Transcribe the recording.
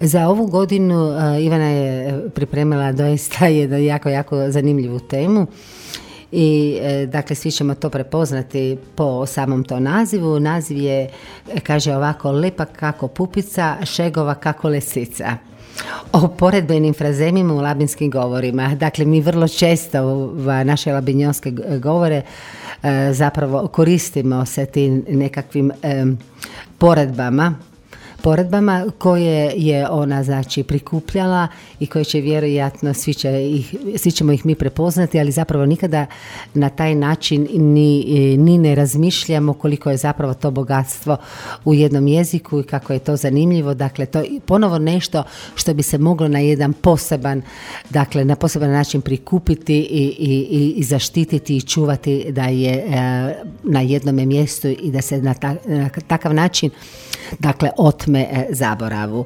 Za ovu godinu Ivana je pripremila doista jednu jako zanimljivu temu i dakle svi ćemo to prepoznati po samom to nazivu. Naziv je, kaže ovako, lepa kako pupica, šegova kako lisica. O poredbenim frazemima u labinskim govorima. Dakle, mi vrlo često u naše labinjonske govore zapravo koristimo se tim nekakvim poredbama koje je ona znači prikupljala i koje će vjerojatno svi ćemo ih mi prepoznati, ali zapravo nikada na taj način ni ne razmišljamo koliko je zapravo to bogatstvo u jednom jeziku i kako je to zanimljivo. Dakle, to je ponovo nešto što bi se moglo na jedan poseban način prikupiti i zaštititi i čuvati da je na jednome mjestu i da se na takav način dakle otme zaboravu.